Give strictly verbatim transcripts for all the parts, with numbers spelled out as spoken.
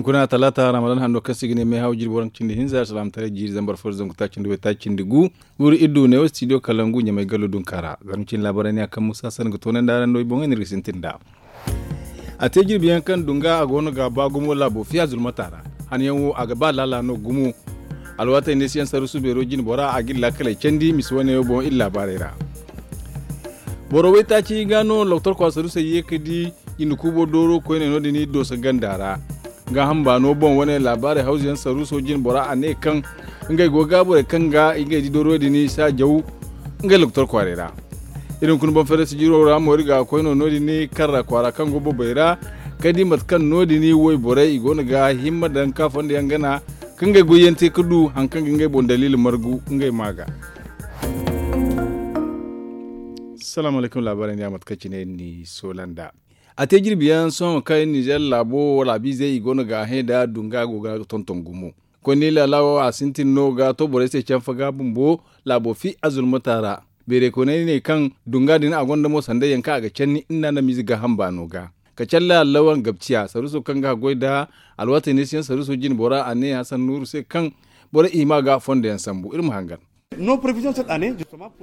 Guna talaata ramadan hanno kaŋ se i ga ne meehaw jirbi waranka cindi hinza alsilaamataray jiiri zambar fo da zangu taaci nda way taaci nda gu. Guuru iri du neewo studio kalangu ɲamay gallo dunka ra zarma cine laabaray ne a kaŋ musa san ga toonandi araŋ no i boŋey no iri ga sintin nd'a. A te jirbi yaŋ kaŋ dunga a go no ga a ba gumo laabo fiya zulmata ra. Han yaŋ wo a ga ba laala no gumo. Alwaatey neesiyaŋ saruusu beero jine bora a ga iri laakaley candi misi wane wo boŋ iri laabaarey ra. Boro waytaaci ga no loktor kwaara saruusey ye ga di jinde kuubo dooro koyne no- din dooso ganda ra. Gaaham baano boŋ wane laabaarey hawzu yaŋ saruuso jine bora a ne kaŋ ngey go ga borey kaŋ ga ngey di dooro din saajaw ngey loktor kwaarey ra. Iri hunkuna boŋ fere sijiro ra mo iri ga koy no no- din karra kwaara kaŋ go bobey ra ka di mate kaŋ no- din wayborey i go no ga himma daŋ ka fondo yaŋ gana kaŋ ngey goyyaŋ te ga du hari kaŋ ga ngey boŋ daliili margu ngey ma ga. Salaamu alaykum laabaarey nda yaŋ mate kaŋ cine iri n'i soola nd'a. A te jirbi yaŋ sohõ kaŋ iri nizeer laabo laabiizey i go no ga a hẽ nda dunga go ga tonton gumo. Koy ni laala wo a sintin no ga to borey se canfa ga bumbo laabo fi azulmata ra. Beeray koyney ne kaŋ dunga din a gonda mo sanda yaŋ kaŋ a ga canni nda na miize gaaham baano ga. Ka calla allawan gabciya saruuso kaŋ ga haggoy nda alwaatey neesiyaŋ saruuso jine bora a ne hasan nuuru se kaŋ borey i hima ga fondo yaŋ sambu iri ma hangan.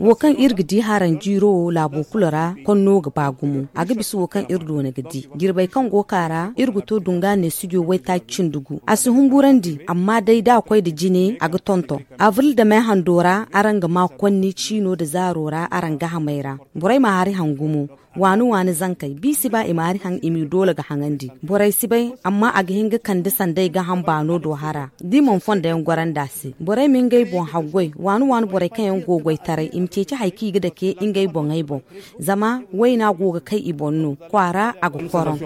Wo kaŋ iri ga di haranjiiro wo laabo kulu ra konno ga ba gumo a ga bisa wo kaŋ iri doona ga di jirbey kaŋ go ka ra iri ga to dunga neesijo waytaaci cindi gu a si humburandi amma day da a koy nda jine a ga tonton. Abril nda me hando ra araŋ ga ma konni ciino nda zaaro ra araŋ gahamey ra. Borey ma hari hangu mo. Waani waani zankey biisi ba i ma hari haŋ i m'i doole ga haŋandi. Borey si bay amma a ga hin ga kande sanday gaaham baano do hara da i mana fondo yaŋ gorandi a se borey ma ngey boŋ haggoy. Waani waani borey kaŋ yaŋ go goytaray i ma ceeci hari kaŋ i ga dake ngey boŋey boŋ. Zama wayna go ga kay i boŋ no kwaara a ga koroŋ.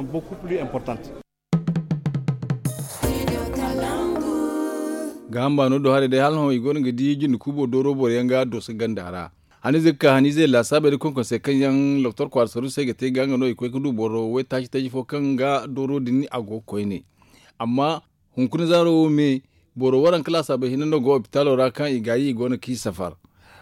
Gaaham baano do haray day hala hõ i go no ga di jinde kuubo dooro boro yaŋ ga dooso ganda ra. Haniize ga ka haniizey laasaabey nda konkonsey kaŋ yaŋ loktor kwaara saruusey ga te ga nga no i koy ga du boro waytaaci taji fo kaŋ ga dooro din a go ga koyne. Amma hunkuna zaaro wo me boro waranka laasaabey hinne no go opitaalo ra kaŋ i gaayi i go no kaŋ i safar.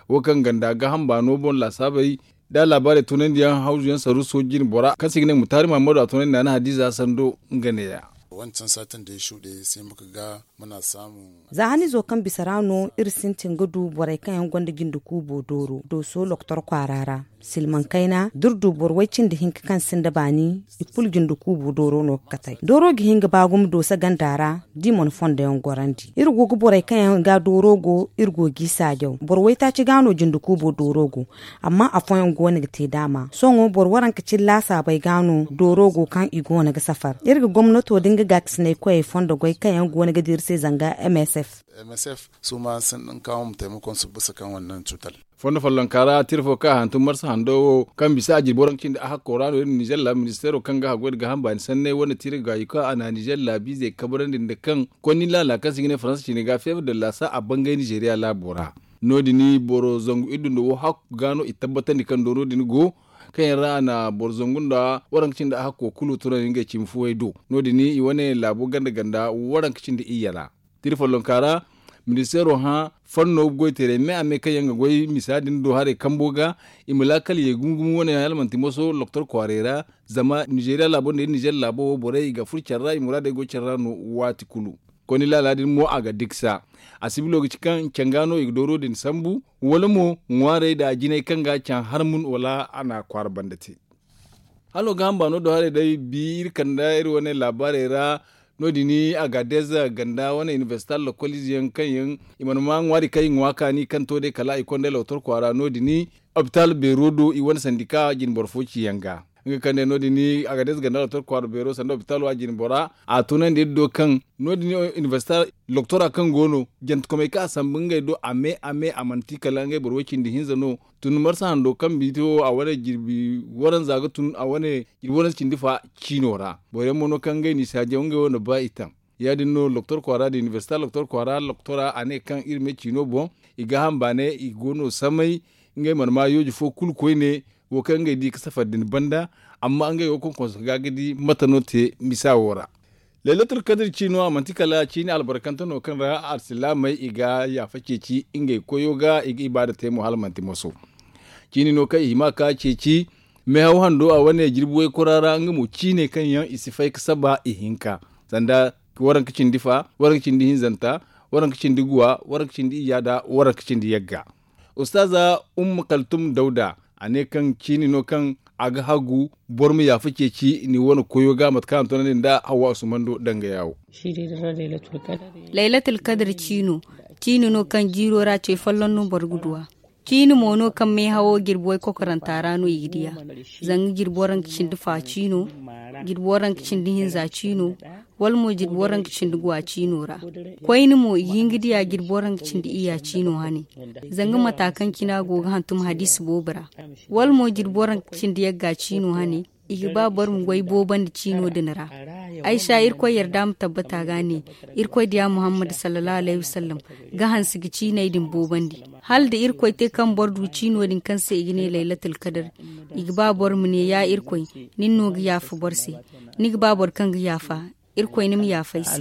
Wo kaŋ ganda gaaham baano boŋ laasaabey da laabaarey tunandiyaŋ hawzu yaŋ saruuso jine bora kaŋ se i ga ne mutaari mahammadu a tunandi naana hadiiza sando nga neeya. Wancan saatin da ya shuɗe sai muka ga muna samun. Za haniizo kaŋ bisa ra no iri sintin ga du borey kaŋ yaŋ gonda jinde kuubo dooro dooso loktor kwaara ra. Silmaŋ kayna da iri du boro way cindi hinka kaŋ sinda baani i kulu jinde kuubo dooro no ga katay dooro ga hin ga ba gumo dooso ganda ra. Da i mana fondo yaŋ gorandi iri go ga borey kaŋ yaŋ ga dooro go iri go g'i saajaw boro waytaaci ga no jinde kuubo dooro go. Amma afooyaŋ go no ga te daama sohõ boro waranka cine laasaabey ga no dooro go kaŋ i go no ga safar iri ga gomnato da nga gaakasinay koyey fondo goy kaŋ yaŋ go no ga dira se zanga msf. Msf su ma sintin kaŋ ma taymakon su bisa kaŋ wannan cutar. Fondo follonka ra tira fo kaŋ a hantum marsa hando wo kaŋ bisa a jirbi waranka cindi a hakko ra no- din nizeer laabu ministeero kaŋ ga haggoy nda gaaham baani sanney wane tira gaayi kaŋ a na nizeer laabiizey kabrandi nda kaŋ konni laala kaŋ se i ga ne faransa cine ga feebar da laasa a bangay nizeeriya laabo ra. No- din boro zangu iddu nda wo hakku ga no i tabbatandi kaŋ dooro din go kaŋ yaŋ ra a na boro zangu nda waranka cindi a hakko kulu tunandi ngey cimi fuwey do. No- din i wane laabo ganda ganda waranka cindi iyye ra. Tira follonka ra ministeero hã fanno goyteerey me a me kaŋ yaŋ ga goy misa din do haray kambo ga i ma laakal ye gumo gumo wane hala manti moso loktor kwaarey ra. Zama nizeeriya laabo nda iri nizeer laabo wo borey i ga furo care ra i muraadey go care ra no. Waati kulu koni laala din mo a ga diksa. A sibilo ga ci kaŋ canga no i ga dooro din sambu wala mo ŋwaarey nda jinay kaŋ ga caŋ harmun wala a na kwaara banda te. Halo ga hamba no do haray day bi iri kanda iri wane laabaarey ra. No- din a ga deza ganda wane inibersita lokolize yaŋ kaŋ yaŋ i mana ma ŋwaari kaŋ i ŋwa kaani kaŋ to day kala i konda loktor kwaara no- din opitaal beero do i wane sandika jine boro fo ci yaŋ ga. Nga kaŋ day no- din a ga deza ganda loktor kwaara beero sanda opitaalo a jine bora a tunandi iri do kaŋ no- din inibersita loktora kaŋ go no jantakomey kaŋ a sambu ngey do a me a me a mana ti kala ngey boro way cindi hinza no. Tun marsa hando kaŋ biiti wo a wane jirbi waranza ga tun a wane jirbi waranza cindi fa ciino ra. Boro yaŋ mo no kaŋ ngey n'i saajaw ngey wo na ba i taŋ. Ya- din no loktor kwaara da inibersita loktor kwaara loktora a ne kaŋ iri me ciino boŋ i gaaham baanay i go no samay. Ngey mana ma yooji fo kulu koyne wo kaŋ ngey di ga safar din banda. Amma ngey wo konkonso ga ga di mate no te misa wo ra. Laylatul kadir ciino a manti kala ciini albarkante no kaŋ ra alsilaamey i ga yaafa ceeci ngey koyo ga i ga ibaada te mo hala manti moso. Ciini no kaŋ i hima ka ceeci meehaw hando a wane jirbi waykora ra nga mo ciine kaŋ yaŋ i si fay ga saba ihinka sanda Waranka cindi fa, waranka cindi hinzanta, waranka cindi guwa, waranka cindi iyya nda waranka cindi yagga. Ustaaza umma kaltum dawda, a ne kaŋ ciini no kaŋ a ga hagu boro ma yaafa ceeci ni wane koyo ga mate kaŋ a na toonandi nda hawwa usumando danga yaawo. Laylatul kadar ciino, ciini no kaŋ jiiro ra ce folloŋ no boro ga duw'a. Ciini mo no kaŋ meehawo jirbi way kokoranta ra no i ga diya. Zanga jirbi waranka cindi fa ciino, jirbi waranka cindi hinza ciino, wala mo jirbi waranka cindi guwa ciino ra. Koyne mo i ga hin ga diya jirbi waranka cindi iyya ciino hane. Zanga mata kaŋ cina go ga hantum hadiisi boobo ra, wala mo jirbi waranka cindi yagga ciino hane. I ga ba boro ma goy boobandi ciino din ra. Ay sha irkoy yarda ma tabbata ga ne, irkoy diya muhammad sallallahu alayhi wasallam ga hanse ga ciiney din boobandi. Hala da irkoy te kaŋ boro du ciino din kaŋ se i ga ne laylatul kadar, i ga ba boro ma ne ya irkoy, nin no ga yaafa boro se. Ni ga ba boro kaŋ ga yaafa, irkoy ni ma yaafa ay se.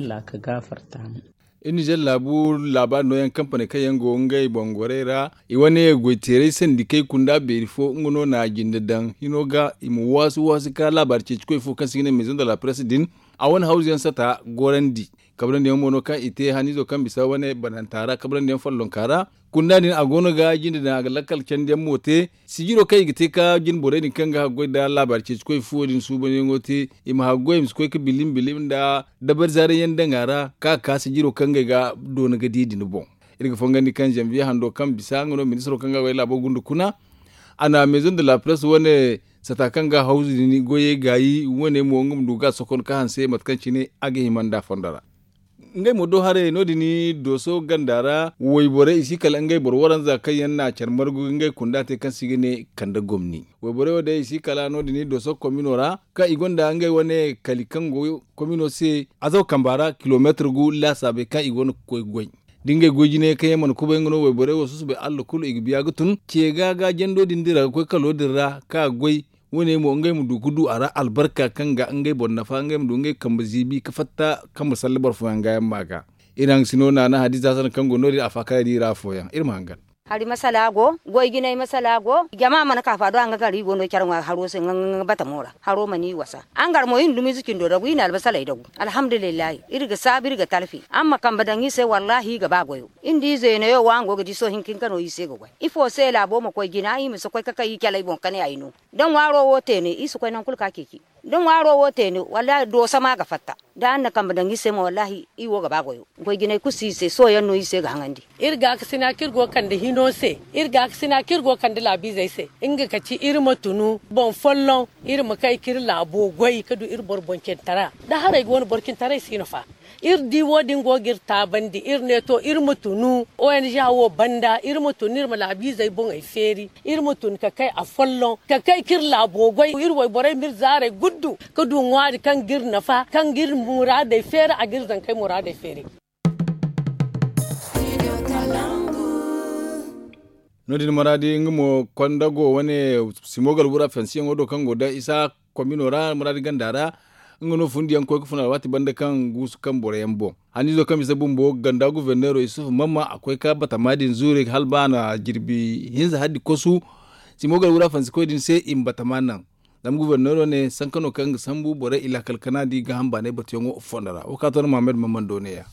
Iri nizer laabu laabaari nooyaŋ kampaney kaŋ yaŋ go ngey boŋ gorey ra, i wane goyteeray sandikey kunda beeri fo nga no na a jinde daŋ hino ga i ma waasu waasu ka laabaari ceeci koy fo kaŋ se i ga ne maison de la presse din. A wane hawzu yaŋ sata gorandi. Kabrandi yaŋ mo no kaŋ i te haniizo kaŋ bisa wane bananta ra kabrandi yaŋ follonka ra. Kunda din a go no ga jinde daŋ a ga lakkal candi yaŋ mo te. Sijiro kaŋ i ga te ka jine borey din kaŋ ga haggoy nda laabaari ceeci koy fuwo din suubanyaŋo te, i ma haggoy i ma si koy ga bilim bilim nda dabari zaarayyaŋ daŋ a ra ka ka sijiro kaŋ ngey ga doona ga di din boŋ. Iri ga fongandi kaŋ zanviye hando kaŋ bisa nga no ministiro kaŋ ga goy laabo gunda kuna. A na maison de la presse wane sata kaŋ ga hawzu din goyey gaayi wane mo nga ma du ga a sokon ka hanse mate kaŋ cine a ga hima nda fondo ra. Ngey mo do haray no- din dooso ganda ra wayborey i si kala ngey boro waranza kaŋ yaŋ na care margu ngey kunda te kaŋ se i ga ne kande gomni. Wayborey wo day i si kala no- din dooso komino ra kaŋ i gonda ngey wane kali kaŋ go komino se azaw kamba ra kilomeetir gu laasaabey kaŋ i go no ga koy goy. Da ngey goy jine kaŋ yaŋ mana kubay nga no wayborey wo susubay allah kulu i ga biya ga tun ce ga ga jando din dira ga koy kalo din ra ka goy. Wo- ne mo ngey ma du ga du a ra albarka kaŋ ga ngey boro nafa ngey ma du ngey kambe ziibi ga fatta kaŋ ma salla boro fooyaŋ ga yaŋ ma ga. Iri haŋ sino naana hadiza hasan kaŋ go no- din a faakara di iri afooyaŋ iri ma hangan. Hari masala go goy jinay masala go jama mana ka fa do a nga gar iri go no care ŋwa haro se nga batamo ra haro mana iri wasa. Angar mo iri na dumiize cindo dagu iri na albasaley dagu. Alhamdulillahi iri ga saabu iri ga talfi araŋ ma kambe daŋ iri se wallaahi iri ga ba goyo. Iri nda iri zeenayo wo araŋ go ga di sohõ hinka hinka no iri se ga goy ifo se laabo ma koy jina iri ma si koy ga kay iri caley boŋ ka ne ay no. Da ŋwaaro wo teene iri si koy nangu kulu ka ceeci. Da ŋwaaro wo teene wallaahi dooso ma ga fatta. Da araŋ na kambe daŋ iri se mo wallaahi iri wo ga ba goyo. Goy jinay kulu si iri se sohõ yaŋ no iri se ga haŋandi. Iri gaakasina kaŋ iri go ga kande hino se iri gaakasina kaŋ iri go ga kande laabiizey se. Nga ka ci iri ma tunu boŋ folloŋ iri ma kay ka iri laabo goy ga du iri boro boŋ cintara. Da haray ga wane boro cintaray si no fa. Iri di wo- din go ga iri taabandi iri ne to iri ma tunu ong wo banda iri ma tunu iri ma laabiizey boŋey feeri. Iri ma tun ka kay afolloŋ ka kay ka iri laabo goy iri wayborey ma iri zaarey guddu ka du ŋwaari kaŋ ga iri nafa kaŋ ga iri muraadey feeri a ga iri zankey muraadey feeri. No- din maraadi nga mo konda go wane simogal wura fansiyaŋo do kaŋ go da isa komino ra maraadi ganda ra. Nga no fundiyaŋ koy ga fun alwaati banda kaŋ guusu kaŋ boroyaŋ boŋ haniizo kaŋ bisa bumbo ganda guverneero isufu mamma a koy ka batama din zuure hala ba a na jirbi hinza haddi kosu. Simogal wura fansikoy din se i ma batama naŋ. Zama guverneero ne sanka no kaŋ ga sambu borey i laakal kana di gaaham baanay batuyaŋo fondo ra wo ka to na muhammad mamman do neeya.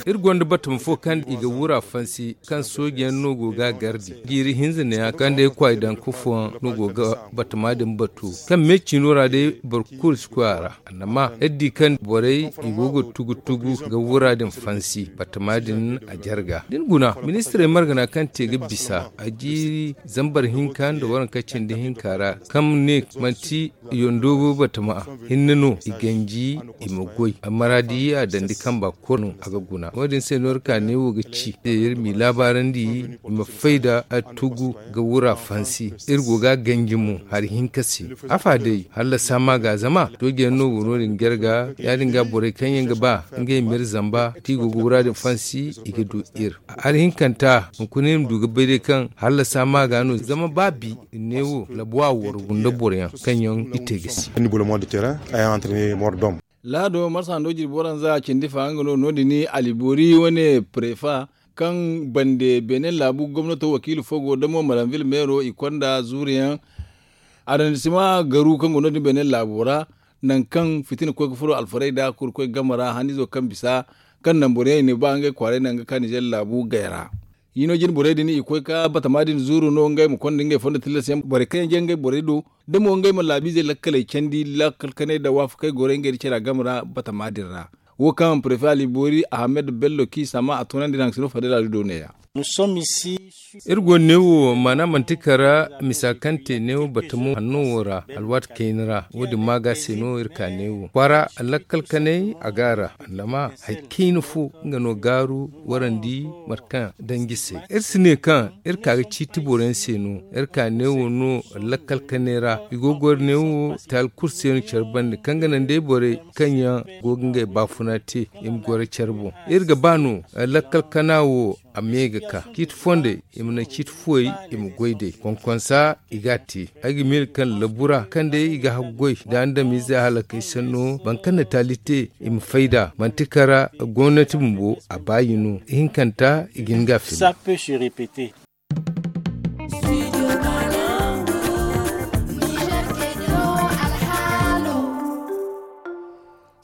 Iri gonda batama fo kaŋ i ga wura fansi kaŋ sooji yaŋ no go ga a gardi jiiri hinza neeya kaŋ day kwaay daŋ ka fooyaŋ no go ga batama din batu kaŋ me ciino ra day boro kulu si koy a ra. Annama iri di kaŋ borey i go ga tugu tugu ga wura din fansi batama din a jarga da ni guna ministirey margana kaŋ te ga bisa a jiiri zambar hinka nda waranka cindi hinka ra kaŋ ne manti yondoobo batama hinne no i ganji i ma goy a maraadi a dandi kamba kulu no a ga guna wo- din se no iri ka neewo ga ci se iri m'i laabaarandi i ma fay nda a tugu ga wura fansi. Iri go ga a ganji mo hari hinka se afa day hallasa ma ga zama sooji yaŋ no go no- din jarga ya- din ga borey kaŋ yaŋ ga ba ngey ma iri zamba da i go ga wura din fansi i ga du iri. Hari hinkanta hunkuna iri ma du ga bay day kaŋ hallasa ma ga no zama ba bi iri ne wo labuwa waro gunda boroyaŋ kaŋ yaŋ i te ga si. Laado marsa hando jirbi waranza cindi fa nga no no- din ali boori wane prefa kaŋ bande benin laabu gomnato wakiila fo go damo maranville meero i konda zuuriyaŋ arrondissement garu kaŋ go no- din benin laabo ra. Nangu kaŋ fitina koy ga furo alfarey da kuru koy game ra hanizo kaŋ bisa kaŋ naŋ boro yaŋ i ne ba ngey kwaaray naŋ ga ka nizer laabu gay ra. Hino jine borey din i koy ka batama din zuuru no ngey ma konda ngey fondo tilas yaŋ borey kaŋ yaŋ jangay borey do da mo ngey ma laabiizey lakkaley candi lakkal kanay da waafakey goray ngey da cara game ra batama din ra. Wo kaŋ prefe ali boori ahamed bello k'i sama a toonandi naŋ sino fadela do neeya. Iri go neewo maana manti kara misa kaŋ te neewo batamo hanno wo ra alwaati kayna ra wo- din ma ga se no iri ka neewo kwaara lakkal kanay a ga a ra. Zama hari kayna fo nga no gaaru warandi mate kaŋ danji se iri si ne kaŋ iri ka ga ciiti boro yaŋ se no. Iri ka neewo no lakkal kanay ra i go ga goro neewo taali kulu se no care bande kaŋ ga naŋ day borey kaŋ yaŋ go ga ngey baafuna te i ma goro care boŋ. Iri ga ba no lakkal kana wo a me ga ka ciiti fondey i ma naŋ ciiti fuwey i ma goy day konkonsa i ga a te. Ay ga miila kaŋ labbura kaŋ day i ga haggoy da andamize halakey sanno boro kaŋ na taali te i ma fayda manti kara gomnati bumbo a baayi no ihinkanta i ga hin ga a fila.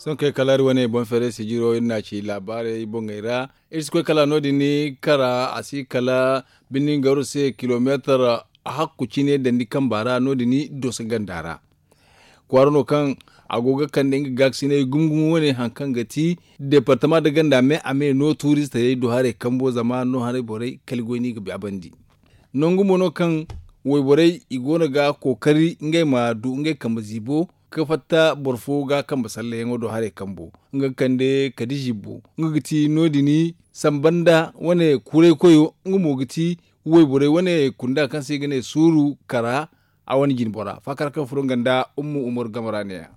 Sohõ kay kala iri wane boŋ feeray sijiro iri na ci laabaarey boŋey ra. Iri si koy kala no- din kara a si kala bindin gawro se kilomeetar hakku cine dandi kamba ra no- din dooso ganda ra. Kwaara no kaŋ a go ga kande nga gaakasinay gumo gumo wane hari kaŋ ga ti deepartama nda ganda me a me no tuuristey do haray kambo zama no haray borey kala goy no i ga baabandi. Nangu mo no kaŋ wayborey i go no ga kookari ngey ma du ngey kambe ziibo ka fatta boro fo ga kambe salleyaŋo do haray kambo nga ga kande kadi zibbo nga ga ti no- din samba nda wane kuray koyo nga mo ga ti wayborey wane kunda kaŋ se i ga ne suuru kara. A wane jinbora faakara kaŋ furo nga nda umma umaru game ra neeya.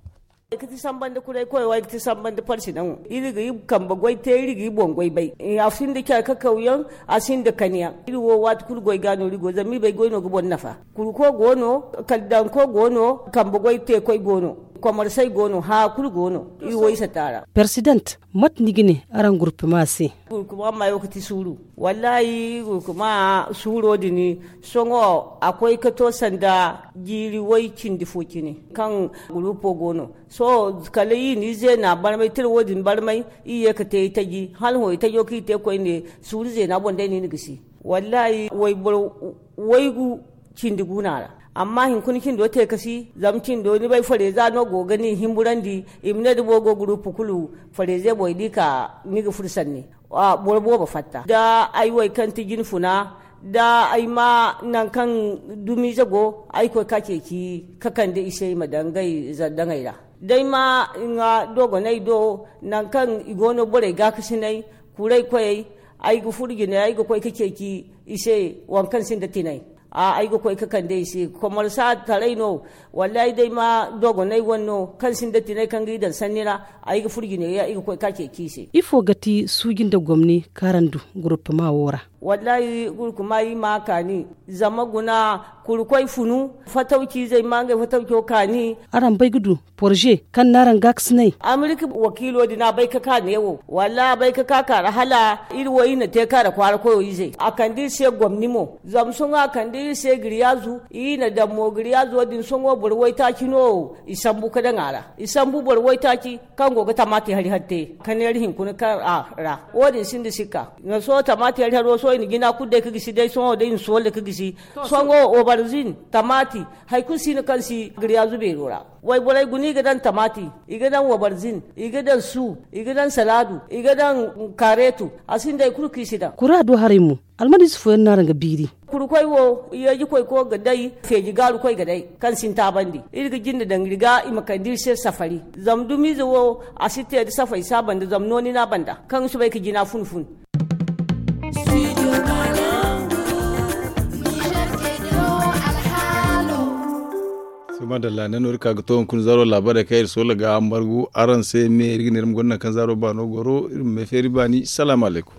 Ay ga ti samba nda kuray koyo ay ga ti samba nda parsi naŋo iri ga i kambe goy te iri ga i boŋ goy bay. A sinda care kakaw yaŋ a sinda kani yaŋ iri wo waati kulu goy ga no iri go zama iri bay goy no ga boro nafa. Kurko go no, kaldanko go no, kambe goy te koy go no, komarsey go no haya kulu go no. Iri wo isa taara. Persident, mate ni ga ne araŋ gurpema se? Gurkuma maayo ga ti suuru. Wallaahi gurkuma suuro din sohõ a koy ga to sanda jiiri way cindi fo cine kaŋ gurupo go no. Sohõ kala i n'i zeena barmay tira wo- din barmay i ye ga te itaji hala hõ itajo kaŋ i te koyne suuru zeena boŋ day no i na gisi. Wallaahi wayboro waygu cindi guuna ra. Amma hinkuna cindo te ka si zama cindo ni bay fareza no go ga ni himburandi i ma ne da boro go gurupu kulu fareze boŋ i di ka ni ga furo sanni. Boro boobo fatta da ay wo ay kaŋ ti jinfuna da ay ma nangu kaŋ dumiize go ay koy ka ceeci ka kande i se i ma daŋ ngey zardaŋey ra. Day ma nga dogoney do nangu kaŋ i go no borey gaakasiney kuray koyey ay ga furo jinay ay ga koy ka ceeci i se waŋ kaŋ sinda tinay. Ay ga koy ka kande i se komarsa taray no wallaahi day ma dogoney wane no kaŋ sinda tinay kaŋ ga i daŋ sanni ra. Ay ga furo jinay ay ga koy ka ceeci i se. Ifo ga ti suuji nda gomni kaŋ araŋ du gurupema wo ra? Wallaahi gurupema i ma a kaani zama guna kuri koy funu fatawci izey ma ngey fatawco kaani. Araŋ bay ga du porze kaŋ na araŋ gaakasinay? Amerika wakiilo din a bay ka ka neewo wallaahi a bay ka ka kaara hala iri wo iri na te kaara kwaara koyo izey a kande iri se gomni mo zama sohõ a kande iri se giriyaazu iri na daŋ mo giriyaazo din sohõ boro waytaaci no i sambu ka daŋ a ra. I sambu boro waytaaci kaŋ go ga tamaati hari hari te ka neera hinkuna kaŋ a ra wo- din sinda sikka. Sohõ tamaati hari haro sohõ i na jina kulu day ka gisi day sohõ day i na soola ka gisi. Sohõ obarzin tamaati hari kulu si no kaŋ si giriyaazu beero ra. Wayborey guna i ga daŋ tamaati, i ga daŋ wabarzin, i ga daŋ su, i ga daŋ salaadu, i ga daŋ kaareetu. A sinda hari kulu kaŋ i si daŋ. Kura do haray mo almadiize fooyaŋ no araŋ ga biiri. Kuri koy wo yeeji koy ko ga day feeji gaaru koy ga day kaŋ si ni taabandi iri ga jinde daŋ iri ga i ma kande iri se safari. Zama dumiize wo a si te nda safari si a banda zama nooni no a banda kaŋ i si bay ga jina fun fun. Madalla ne no iri ka ga to hunkuna zaaro laabaarey kaŋ iri soola ga margu araŋ se me iri ga ne iri ma gonda nangu kaŋ zaaro baano goro iri ma may feeri baani salaamu alaykum.